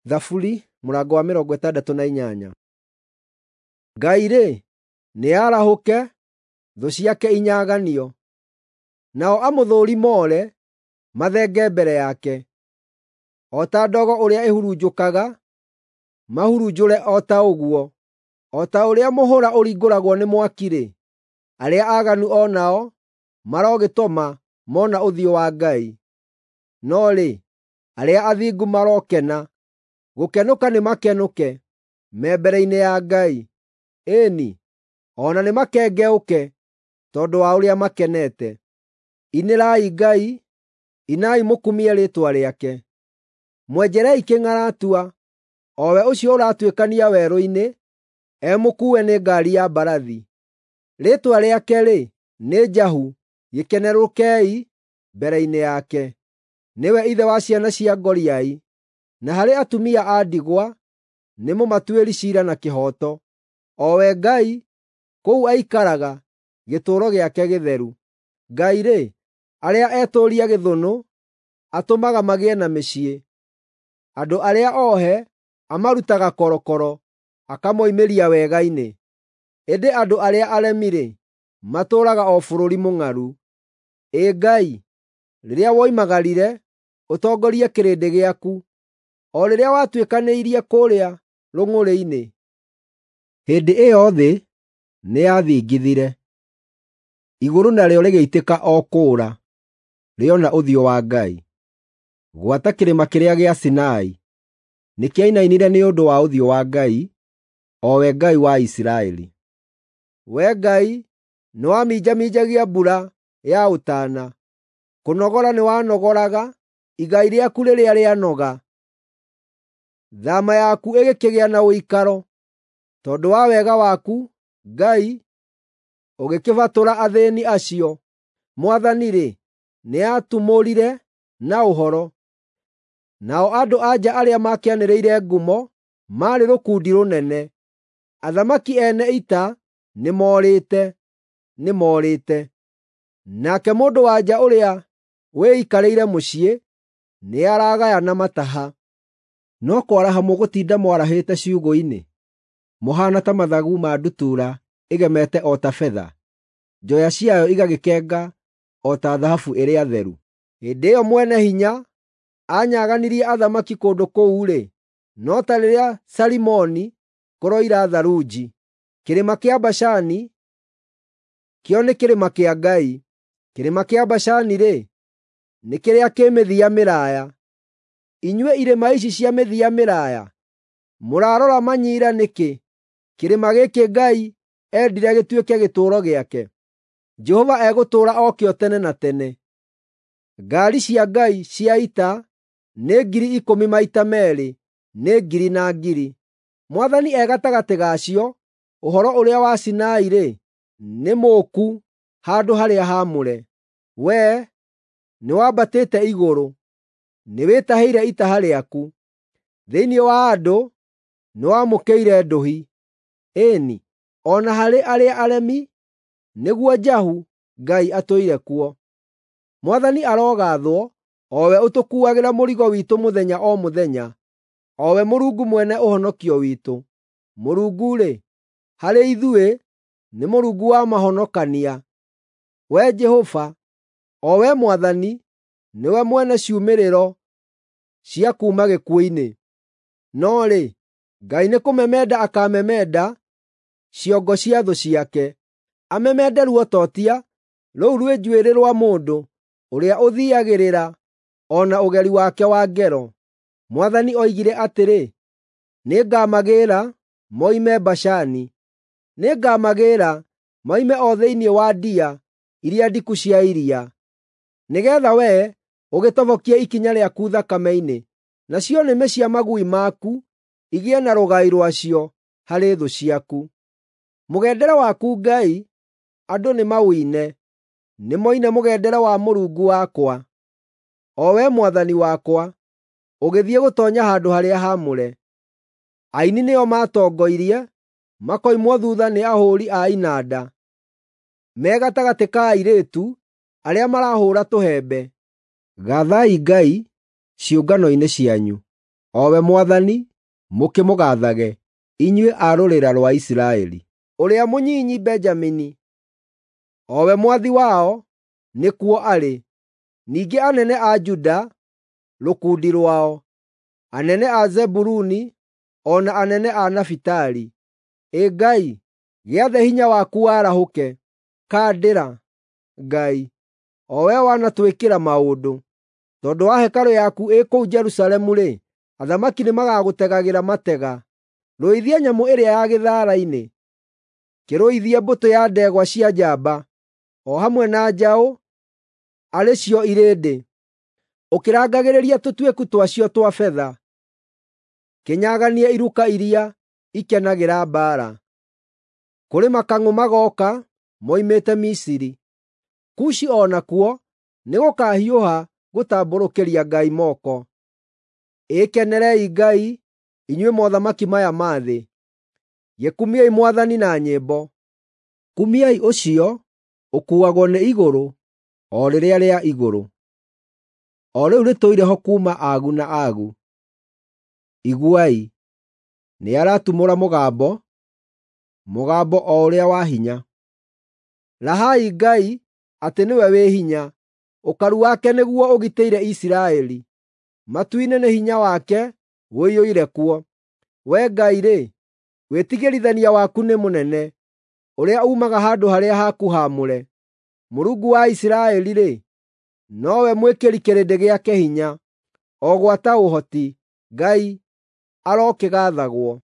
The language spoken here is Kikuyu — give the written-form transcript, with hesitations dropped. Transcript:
Thaburi mũrango wa 68. Ngai-rĩ, nĩarahũke, thũ ciake inyaganio, nao amũthũũri moore, mathenge mbere yake. O ta ndogo ũrĩa ĩhurunjũkaga, mahurunjũre o ta ũguo. O ta ũrĩa mũhũra ũringũragwo nĩ mwaki-rĩ, arĩa aaganu o nao marogĩtoma mona ũthiũ wa Ngai. No rĩ, arĩa athingu marokena, gũkenũka nĩmakenũke me mbere-inĩ ya Ngai. Ĩĩ-ni, o na nĩmakengeũke tondũ wa ũrĩa makenete. Inĩrai Ngai, inai mũkumie rĩĩtwa rĩake. Mwenjerei kĩng'aratua, o we ũcio ũratuĩkania werũ-inĩ, emũkuue nĩ ngaari ya mbarathi. Rĩĩtwa rĩake-rĩ, nĩ Jahu, gĩkenerũkei mbere-inĩ yake. Nĩwe ithe wa ciana cia ngoriai, na harĩ atumia a ndigwa nĩ mũmatuĩri ciira na kĩhooto. O we Ngai, kũu aikaraga, gĩtũũro gĩake gĩtheru. Ngai-rĩ, arĩa etũũria gĩthũnũ atũmaga magĩe na mĩciĩ. Andũ arĩa ohe amarutaga korokoro, akamoimĩria wega-inĩ. Ĩndĩ andũ arĩa aremi-rĩ, matũũraga o bũrũri mũng'aru. Ĩ Ngai, rĩrĩa woimagarire ũtongorie kĩrĩndĩ gĩaku, o rĩrĩa watuĩkanĩirie kũũrĩa rũng'ũrĩ-inĩ, hĩndĩ ĩyo thĩ nĩyathingithire, igũrũ narĩo rĩgĩitĩka o kũũra, rĩona ũthiũ wa Ngai. Gwata kĩrĩma kĩrĩa gĩa Sinai nĩkĩainainire nĩ ũndũ wa ũthiũ wa Ngai, o we Ngai wa Isiraeli. Wee Ngai, nĩwaminjaminjagia mbura ya ũtaana, kũnogora nĩwanogoraga igai rĩaku rĩrĩa rĩanoga. Thaama yaku ĩgĩkĩgĩa na ũikaro, tondũ wa wega waku, Ngai, ũgĩkĩbatũra athĩĩni acio. Mwathani-rĩ, nĩatumũrire na ũhoro, nao andũ-a-nja arĩa makĩanĩrĩire ngumo maarĩ rũkundi rũnene. Athamaki ene ita nĩmoorĩte, nĩmoorĩte. Nake mũndũ-wa-nja ũrĩa wĩikarĩire mũciĩ nĩaragayana mataha. No kwaraha mũgũtinda mwarahĩte ciugũ-inĩ, mũhaana ta mathagu ma ndutura ĩgemete o ta betha, njoya ciayo igagĩkenga o ta thahabu ĩrĩa theru. Hĩndĩ ĩyo Mwene-Hinya aanyaganirie athamaki kũndũ kũu-rĩ, no ta rĩrĩa Salimoni kũroira tharunji. Kĩrĩma kĩa Bashani kĩo nĩ kĩrĩma kĩa Ngai, kĩrĩma kĩa Bashani-rĩ, nĩ kĩrĩa kĩ mĩthia mĩraaya. Inyuĩ irĩma ici cia mĩthia mĩraaya, mũrarora manyiira nĩkĩ, kĩrĩma gĩkĩ Ngai endire gĩtuĩke gĩtũũro gĩake? Jehova egũtũũra o kĩo tene na tene. Ngaari cia Ngai cia ita nĩ 10,000 maita meerĩ, nĩ ngiri na ngiri. Mwathani e gatagatĩ gacio, ũhoro ũrĩa wa Sinai-rĩ, nĩ mũũku handũ harĩa haamũre. Wee nĩwambatĩte igũrũ, nĩwĩtahĩire itaha rĩaku. Thĩinĩ wa andũ nĩwamũkĩire ndũhi, ĩĩ-ni, o na harĩ arĩa aremi, nĩguo Jahu Ngai atũire kuo. Mwathani arogaathwo, o we ũtũkuuagĩra mũrigo witũ mũthenya o mũthenya, o we Mũrungu mwene ũhonokio witũ. Mũrungu-rĩ, harĩ ithuĩ nĩ Mũrungu wa mahonokania. Wee Jehova, o Wee Mwathani, nĩwe mwene ciumĩrĩro cia kuuma gĩkuũ-inĩ. No rĩ, Ngai nĩkũmemenda akaamemenda ciongo cia thũ ciake, amemende ruototia rũu rwĩ njuĩrĩ rwa mũndũ ũrĩa ũthiiagĩrĩra o na ũgeri wake wa ngero. Mwathani oigire atĩrĩ, “Nĩngamagĩĩra moime Bashani, nĩngamagĩĩra moime o thĩinĩ wa ndia iria ndiku cia iria, nĩgeetha wee ũgĩtobokie ikinya rĩaku thakame-inĩ, nacio nĩmĩ cia magui maku igĩe na rũgai rwacio harĩ thũ ciaku.” Mũgendere waku Ngai, andũ nĩmaũine, nĩmoine mũgendere wa Mũrungu wakwa, o we Mwathani wakwa, ũgĩthiĩ gũtoonya handũ-harĩa-haamũre. Aini nĩo maatongoirie, makoimwo thuutha nĩ ahũũri a inanda, me gatagatĩ ka airĩtu arĩa marahũũra tũhembe. Gaathai Ngai ciũngano-inĩ cianyu, O we Mwathani, mũkĩmũgaathage, inyuĩ a rũrĩra rwa Isiraeli. Ũrĩa mũnyinyi Benjamini, o we mwathi wao, nĩkuo arĩ, ningĩ anene a Juda, rũkundi rwao, anene a Zebuluni, o na anene a Nafitali. Ĩ Ngai, gĩathe hinya waku warahũke; kandĩra, Ngai, o wee wanatwĩkĩra maũndũ. Tondũ wa hekarũ yaku ĩ kũu Jerusalemu-rĩ, athamaki nĩmagagũtegagĩra matega. Rũithia nyamũ ĩrĩa ya gĩthaara-inĩ, kĩrũithie mbũtũ ya ndegwa cia njamba, o hamwe na njaũ, arĩ cio irĩndĩ, ũkĩrangagĩrĩria tũtuĩku twacio twa betha. Kĩnyaganie iruka iria ikenagĩra mbaara. Kũrĩ makang'ũ magooka moimĩte Misiri. Kushi o nakuo nĩgũkahiũha gũtambũrũkĩria Ngai moko. Ĩ kenerei Ngai, inyuĩ mothamaki maya ma thĩ; gĩkumiei Mwathani na nyĩmbo. Kumiai ũcio ũkuuagwo nĩ igũrũ, o rĩrĩa rĩa igũrũ, o rĩu rĩtũire ho kuuma agu na agu. Iguai, nĩaratumũra mũgambo, mũgambo o ũrĩa wa hinya. Rahai Ngai atĩ nĩwe wĩ hinya; ũkaru wake nĩguo ũgitĩire Isiraeli. Matu-inĩ nĩ hinya wake ũiyũire kuo. Wee Ngai-rĩ, wĩtigĩrithania waku nĩ mũnene, ũrĩa uumaga handũ harĩa haku haamũre. Mũrungu wa Isiraeli-rĩ, nowe mwĩkĩri kĩrĩndĩ gĩake hinya, o gwata ũhoti. Ngai arokĩgaathagwo.